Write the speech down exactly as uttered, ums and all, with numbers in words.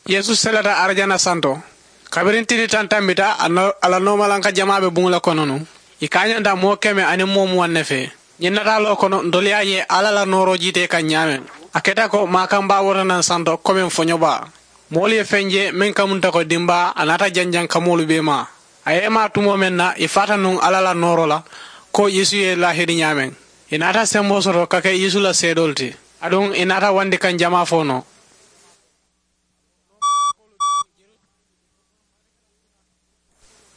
Yeesu selata arijana santo. Kabiriŋ tili taŋ tambita, a la noomalanka jamaa be buŋo le kono nuŋ. Ì kaañanta moo keme aniŋ moo muwaŋ ne fee. Ñiŋ nataaloo kono, ntolu ye a je alla la nooroo jiita ì kaŋ ñaameŋ. A keta ko maakanbaa warata naŋ santo komeŋ foñobaa. Moolu ye feŋ je meŋ kamunta ko dimbaa, a naata janjaŋ kamoolu bee maa. A ye maa tumoo meŋ na, ì faata nuŋ alla la nooroo la, ko yeesu ye laahidi ñaameŋ. Ì naata semboo soto ka ke yeesu la seedoolu ti. Aduŋ ì naata wandi kaŋ jamaa fo noo.